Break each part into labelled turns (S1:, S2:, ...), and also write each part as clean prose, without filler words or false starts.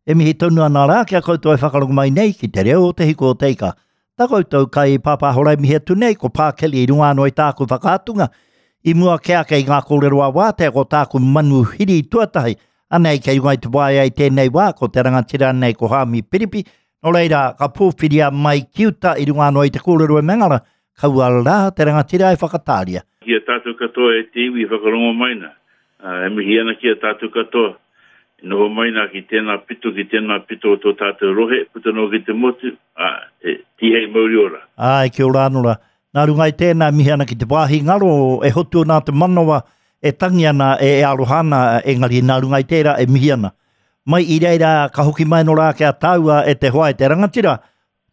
S1: E mihi tonu ana rā ki a koutou e whakarongo mai nei ki te reo o Te Hiku o Te Ika. Tā koutou kai pāpāhora e mihi atu nei ko Pā Kelly i runga anō i tāku whakaatunga i mua kē ake i ngā kōrero a Wātea ko tāku manuhiri tuatahi anei kei runga i te waea i tēnei wā ko te rangatira nei ko Haami Piripi nō reira ka pōwhiria mai ki uta i runga anō i te kōrero e Mengara kaua rā te rangatira e whakatāria.
S2: Ki a tātou katoa e te iwi e whakarongo mai na, E mihi ana ki a tātou katoa e noho mai nā ki tēnā pito, ki tēnā pito o tō tātou rohe, puta noa ki te motu, ā, e, tīhei mauri ora.
S1: Āe, kia ora anō rā. Nā runga i tēnā, e mihi ana ki te wāhi ngaro e hotu ana te manawa, e tangi ana, e aroha ana, engari nā runga i tērā e mihi ana. Mai i reira ka hoki mai anō rā ki a tāua e te hoa e te rangatira,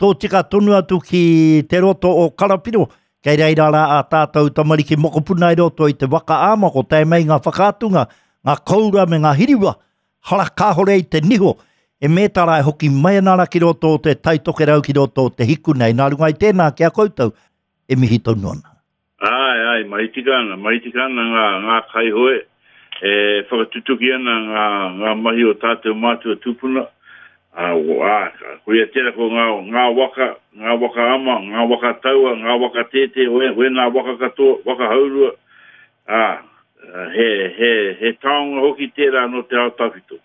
S1: Tōtika tonu atu ki te roto o Karapiro, kei reira rā ā tātou tamariki mokopuna i roto i te waka āma, ko tae mai ngā whakaatunga, ngā koura me ngā hiriwa, hara kāhore i te niho, e mētara e hoki mai ana ra ki roto o te Tai Tokerau ki roto o te hiku nei. Nā runga i tēnā ki a koutou, e mihi tonu ana.
S2: Āe, āe, mahi tika ana, mahi tika ana ngā, ngā kaihoe, e whakatutuki ana ngā, ngā mahi o tātou mātua tūpuna, ā, ā, koia tērā ko ngā, ngā waka, ngā waka ama, ngā waka taua, ngā waka tētē, wēnā waka katoa, waka haurua, ā, he, he, he taonga hoki tērā nō te ao tawhito.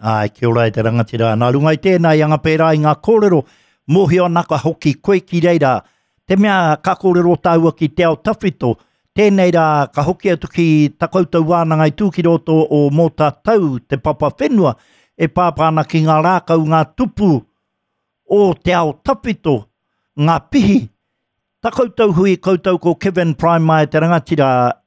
S1: Āe, kia ora e te rangatira. Nā runga i tēnā i anga pērā i ngā kōrero, mōhio ana ka hoki koe ki reira. Te mea ka kōrero tāua ki te ao tawhito, tēnei rā ka hoki atu ki ta koutou wānanga i tū ki roto o Mōtatau, te papa whenua, e pāpā ana ki ngā rākau, ngā tupu o te ao tawhito, ngā pihi. Ta koutou hui, koutou ko Kevin Prime te rangatira,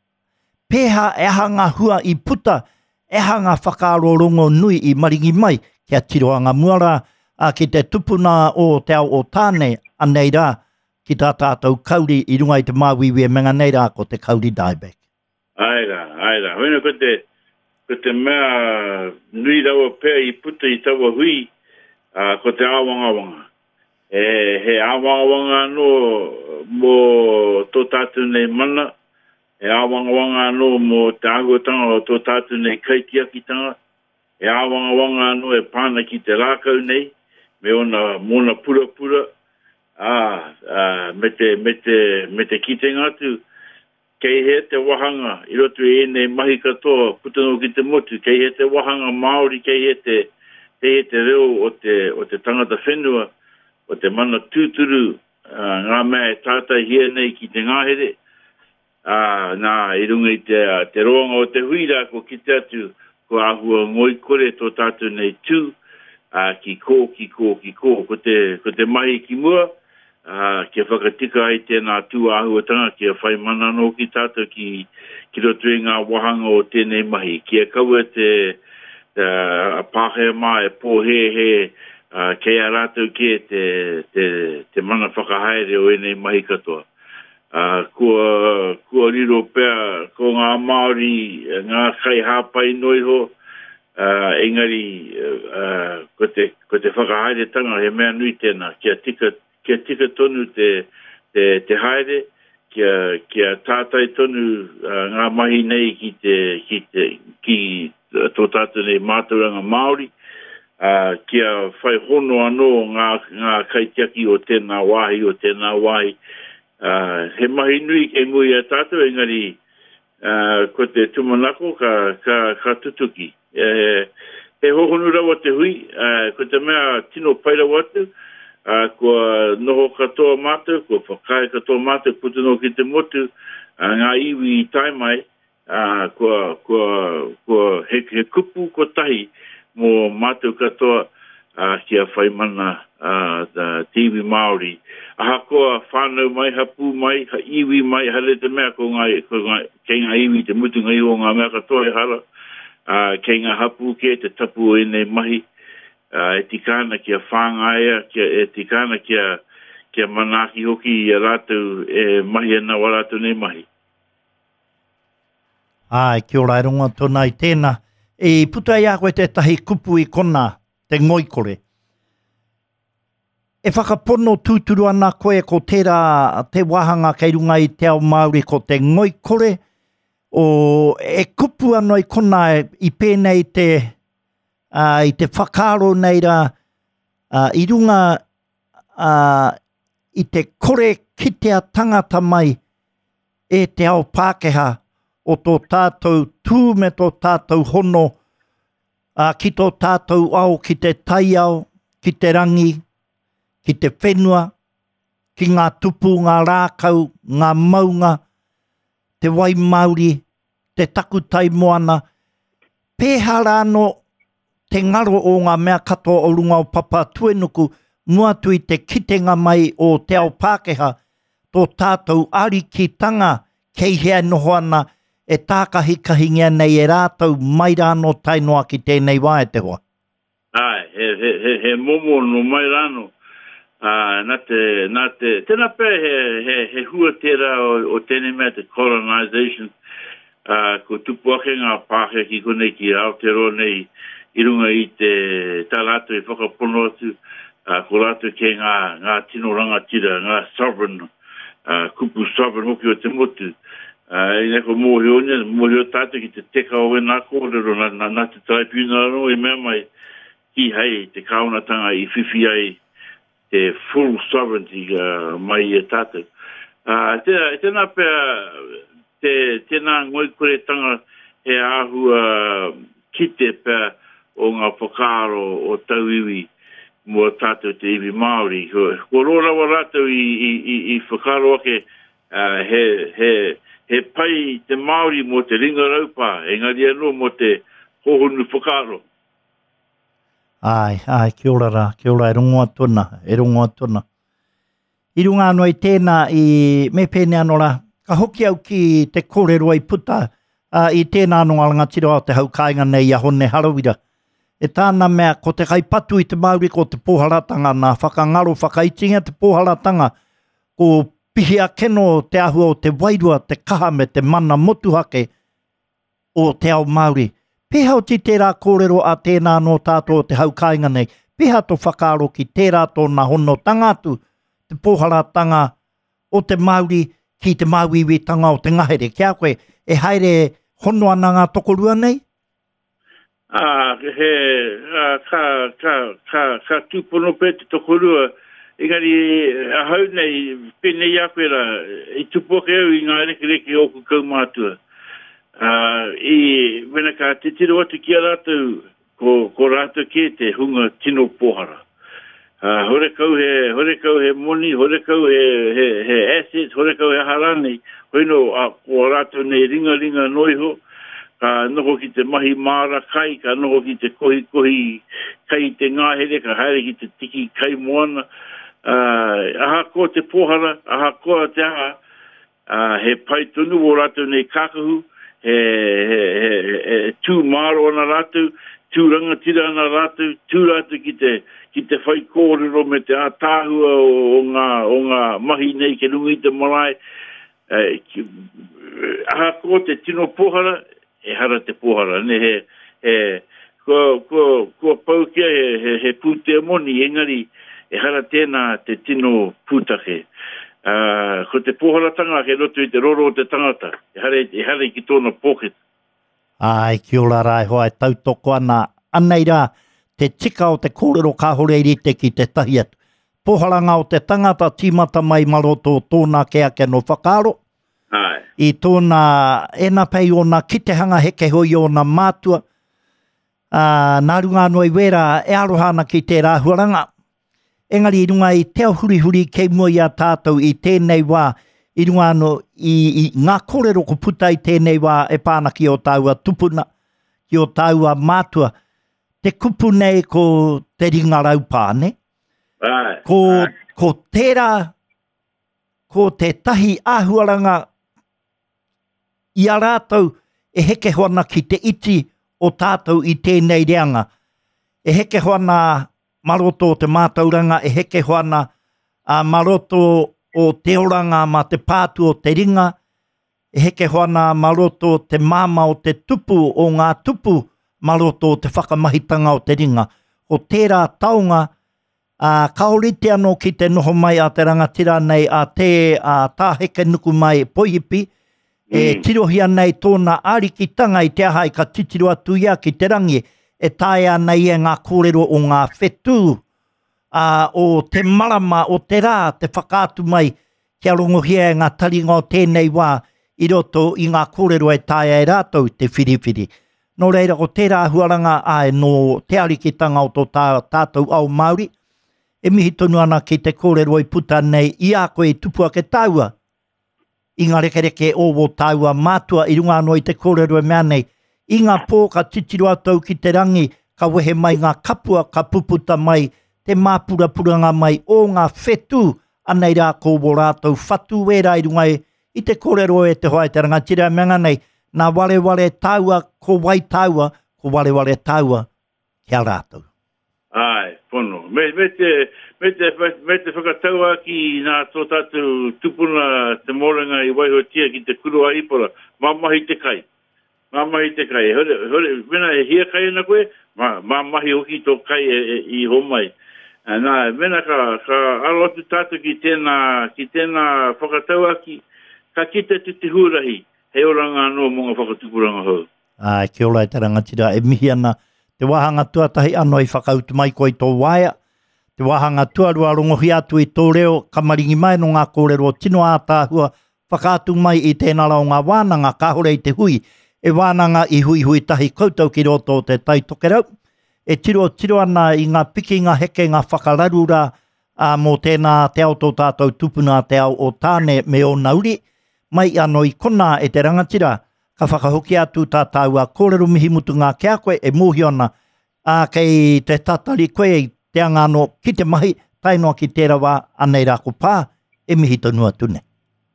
S1: Pēhā, e aha ngā hua i puta, e aha ngā whakaaro rongonui i maringi mai, kia tiro anga mua rā, ā, ki te tupuna o te ao o Tāne, anei rā, ki tā tātou kauri i runga i te māuiui e menga nei rā ko te kauri dieback.
S2: Āe rā, āe rā. Hoina ko te, ko te mea nui rawa pea i puta i taua hui, ā, ko te āwangawanga. He, he āwangawanga anō mō tō tātou nei mana, he āwangawanga anō mō te āhuatanga o tō tātou nei kaitiakitanga, he āwangawanga anō e pā ana ki te rākau nei, me ōna, mōna purapura, ā, ā, me te, me te, me te kitenga atu, Kei hea te wahanga i roto i ēnei mahi katoa puta noa ki te motu, kei hea te wahanga Māori, kei hea te, kei hea te reo o te, o te tangata whenua, o te mana tūturu, ngā mea e tātaihia nei ki te ngahere, ā, nā, i runga i te, te roanga o te hui rā, kua kite atu, kua āhua ngoikore tō tātou nei tū, ā, ki kō, ki kō, ki kō. Ko te, ko te mahi ki mua, ā, kia whakatika ai tēnā tū āhuatanga, kia whai mana anō hoki tātou ki, ki roto i ngā wāhanga o tēnei mahi. Kia kaua te, a Pākehā mā e pōhēhē, ā, kei a rātou kē te, te, te mana whakahaere o ēnei mahi katoa. Ā, kua, kua riro pea ko ngā Māori ngā kaihāpai noa iho, ā, engari, ā, ko te, ko te whakahaeretanga he mea nui tēnā, kia tika, kia tika tonu te, te, te haere, kia, kia tātai tonu ngā mahi nei ki te, ki te, ki tō tātou nei mātauranga Māori, ā, kia whai hono anō ngā, ngā kaitiaki o tēnā wāhi, o tēnā wāhi. Ā, he mahi nui kei mua i a tātou, engari, Ā, ko te tūmanako ka, ka, ka tutuki. E, he hōhonu rawa te hui, ā, ko te mea tino pai rawa atu, ā, kua noho katoa mātou, kua whakaae katoa mātou puta noa ki te motu, ā, ngā iwi i tae mai, ā, kua, kua, kua, he, he kupu kotahi mō mātou katoa, ā, kia whai mana te iwi Māori. Ahakoa whānau mai, hapū mai, iwi mai, haere te mea ko ngā, ko ngā, kei ngā iwi te mutunga iho o ngā mea katoa ehara, ā, kei ngā hapū kē te tapu o ēnei mahi, ā, e tika ana kia whāngaia, kia, e tika ana kia, kia manaaki hoki i a rātou e mahi ana wā rātou nei mahi.
S1: Āe, kia ora e rongo atu ana i tēnā. I puta i a koe tētahi kupu i konā, te ngoikore. E whakapono tūturu ana koe ko tērā te wāhanga kei runga i te ao Māori ko te ngoikore, o, e kupu anō i konā i pēnei te, ā, i te whakaaro nei rā, ā, i runga ā, i te kore kitea tangata mai e te ao Pākehā o tō tātou tū me tō tātou hono ā, ki tō tātou ao, ki te taiao, ki te rangi, ki te whenua, ki ngā tupu, ngā rākau, ngā maunga, te wai māori, te takutai moana, pēhea rānō te ngaro o ngā mea katoa o runga o Papatuenuku mua atu i te kitenga mai o te ao Pākehā, tō tātou arikitanga kei hea e noho ana, e tākahikahingia nei e rātou mai rānō tae noa ki tēnei wā e te hoa.
S2: Āe, he, he, he, he momo nō mai rānō. Ā, nā te, nā te, tēnā pea he, he, he hua tērā o, o tēnei mea te colonisation, ā, kua tupu ake ngā Pākehā ki konei ki Aotearoa nei i runga i te, tā rātou i whakapono atu, ā, ko rātou kē ngā, ngā tino rangatira, ngā sovereign, ā, kupu sovereign hoki o te motu. Ā, ina kua mōhio, mōhio tātou ki te teka o wēnā kōrero, nā, nā, nā te Taraipiunara anō i mea mai, kīhai te kāwanatanga i whiwhi ai te full sovereignty mai i a tātou. Ā, tēnā, tēnā pea te, tēnā ngoikoretanga he āhua kite pea o ngā whakaaro o tauiwi mō tātou te iwi Māori. Kua roa rawa rātou i, i, i, i whakaaro ake he, he, he pai te Māori mō te ringa raupā, engari anō mō te hōhonu whakaaro.
S1: Āe, āe, kia ora rā, kia ora, e rongo atu ana, e rongo atu ana. I runga anō i tēnā, i, me pēnei anō rā, ka hoki au ki te kōrero i puta uh, i tēnā anō ngā rangatira o te hau kāinga nei i a Hone Harawira. E tāna mea, ko te kaipatu i te Māori ko te pōharatanga nā whakangaro whakaitinga te pōharatanga, ko pihi ake nō te āhua o te wairua, te kaha me te mana motuhake o te ao Māori. Pēhea oti tērā kōrero a tēnā anō tātou o te hau kāinga nei? Pēhea tō whakaaro ki tērā tōna honotanga atu, te pōharatanga o te Māori ki te māuiuitanga o te ngahere? Ki a koe, e haere hono ana ngā tokorua nei?
S2: Ā, he, ā, ka, ka, ka, ka tūpono pea te tokorua, engari ahau nei, pēnei i a koe rā, i tupu ake au i ngā rekereke o ōku kaumātua. Ā, i, mena ka titiro atu ki a rātou, ko, ko rātou kē te hunga tino pōhara. Ā, horekau he, horekau he moni, horekau he, he, he assets, horekau he aha rānei, hoi nō, ā, ko ā rātou nei ringaringa noa iho, ka noho ki te mahi māra kai, ka noho ki te kohikohi kai i te ngahere, ka haere ki te tiki kai moana, ā, ahakoa te pōhara, ahakoa te aha, Ā, he pai tonu ō rātou nei kākahu, he, he, he, he, tū māro ana rātou, tū rangatira ana rātou, tū rātou ki te, ki te whaikōrero me te ātaahua o, o ngā, o ngā mahi nei ki runga i te marae. E, ki, ahakoa te tino pōhara, ehara te pōhara, ne, he, he, kua, kua, kua pau kia he, he, he pūtea moni, engari ehara tēnā te tino pūtake. Ā, ko te pōharatanga kei roto i te roro o te tangata, ehara, ehara ki tōna pōketa.
S1: Āe, kia ora rā e hoa e tautoko ana. Anei rā, te tika o te kōrero kāore i rite ki tētahi atu. Pōharanga o te tangata tīmata mai ma roto o tōna ake ake anō whakaaro,
S2: Āe.
S1: I tōna, ēnā pea i ōna kitehanga heke hoi i ōna mātua, ā, nā runga anō i wērā e aroha ana ki tērā āhuaranga. Engari i runga i te ao hurihuri kei mua i a tātou i tēnei wā, i runga anō i, i ngā kōrero ko puta i tēnei wā e pā ana ki ō tāua tupuna, ki ō tāua mātua, te kupu nei ko te ringa raupā, nē?
S2: Āe,
S1: Ko,
S2: āe.
S1: ko tērā ko tētahi āhuaranga i a rātou e hekeho ana ki te iti o tātou i tēnei reanga. E hekeho ana mā roto o te mātauranga, e hekeho ana a mā roto o te oranga mā te pātu o te ringa, e hekeho ana mā roto o te māmā o te tupu o ngā tupu mā roto o te whakamahitanga o te ringa. Ko tērā taonga Ā, ka ōrite anō ki te noho mai a te rangatira nei a te a Tā Hekenukumai Poihipi, e tirohia nei tōna arikitanga i te aha i ka titiro atu ia ki te rangi. e taea ana ia ngā kōrero o ngā whetū, ā, o te marama, o te rā, te whakaatu mai kia rongohia e ngā taringa o tēnei wā i roto i ngā kōrero e taea e rātou te whiriwhiri. Nō reira, ko tērā āhuaranga, āe, nō te arikitanga o tō tā, tātou ao Māori, e mihi tonu ana ki te kōrero i puta nei i a koe i tupu ake tāua i ngā rekereke o wō tāua mātua i runga anō i te kōrero e mea nei, i ngā pō ka titiro atu au ki te rangi, ka wehe mai ngā kapua, ka puputa mai te māpurapuranga mai o ngā whetū, anei rā ko wō rātou whatu wērā i runga i te kōrero e te hoa e te rangatira e mea nei, nā wareware tāua, ko wai tāua, ko wareware tāua ki a rātou.
S2: Āe, pono. Me, me te, me te, me te whakatauākī nā tō tātou tupuna te mōrenga i waihotia ki te kuru a Ipora, mā mahi te kai. Mā mahi te kai. Hore, hore, mena e hiakai ana koe, mā, mā mahi hoki tō kai e, e, i homai. Nā, mena ka, ka aro atu tātou ki tēnā, ki tēnā whakatauākī, ka kite atu te huarahi hei oranga anō mō ngā whakatupuranga hou.
S1: Āe, kia ora e te rangatira, e mihi ana. Te wāhanga tuatahi ano i whakautu mai koe i tō waea. Te wāhanga tuarua rongohia atu i tō reo, ka maringi mai no ngā kōrero tino ātaahua, whakaatu mai i tēnā ra o ngā wānanga kāore i te hui, e wānanga i huihui tahi koutou ki roto o te Tai Tokerau, e tirotiro ana i ngā pikinga hekenga whakararu rā, ā, mō tēnā te ao tō tātou tupuna te ao o Tāne me ōna uri, mai ano i konā e te rangatira, Ka whakahokia atu tā tāua kōrero mihi mutunga ki a koe e mōhio ana, ā, kei te tatari koe i te anga anō ki te mahi, tae noa ki tērā wā, anei rā ko Pā, e mihi tonu atu nei.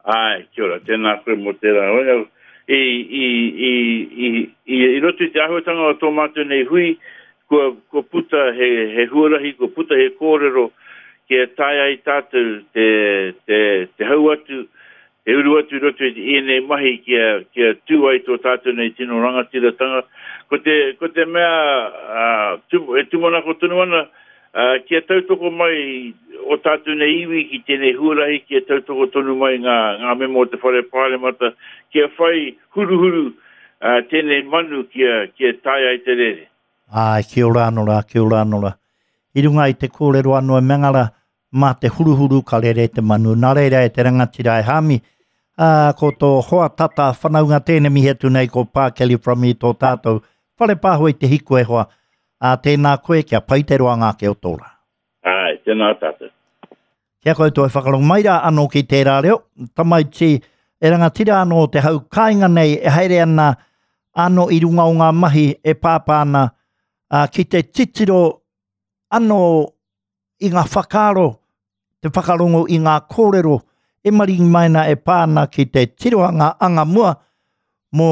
S2: Āe, kia ora, tēnā koe mō tērā. I, i, i, i, i, i roto i te āhuatanga o tō mātou nei hui, kua, kua puta he, he huarahi, kua puta he kōrero kia taea ai tātou te, te, te hau atu, He uru atu i roto i ēnei mahi kia, kia tū ai tō tātou nei tino rangatiratanga. Ko te, ko te mea uh, e tūmanako tonu ana, uh, kia tautoko mai o tātou nei iwi ki tēnei huarahi, kia tautoko tonu mai ngā, ngā mema o te Whare Pāremata, kia whai huruhuru uh, tēnei manu kia, kia tae ai te rere.
S1: Āe, kia ora anō rā, kia ora anō rā. I runga i te kōrero anō e Mengara, mā te huruhuru ka rere te manu. Nā reira e te rangatira e Hāmi, ā, ko tō hoa tata whanaunga tēnei mihi atu nei ko Pā Kelly from i tō tātou whare pāho i te hiku e hoa. Ā, tēnā koe kia pai te roanga ake o tō rā.
S2: Āe, tēnā tātou.
S1: Kia koutou e whakarongo mai rā anō ki tērā reo, tamaiti e rangatira anō te hau kāinga nei e haere ana anō i runga o ngā mahi e pāpā ana ā, ki te titiro anō i ngā whakaaro, te whakarongo i ngā kōrero e maringi mai ana e pā ana ki te tirohanga anga mua mō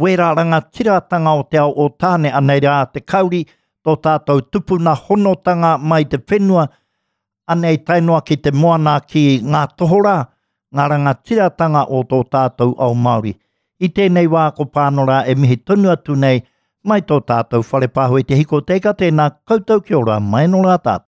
S1: wērā rangatiratanga o te ao o Tāne, anei rā te kauri, tō tātou tupuna honotanga mai te whenua, anei tae noa ki te moana ki ngā tohorā, ngā rangatiratanga o tō tātou ao Māori. I tēnei wā ko Pānora e mihi tonu atu nei mai tō tātou whare pāho i te hiko teika tēnā koutou kia ora mai nō rā tātou.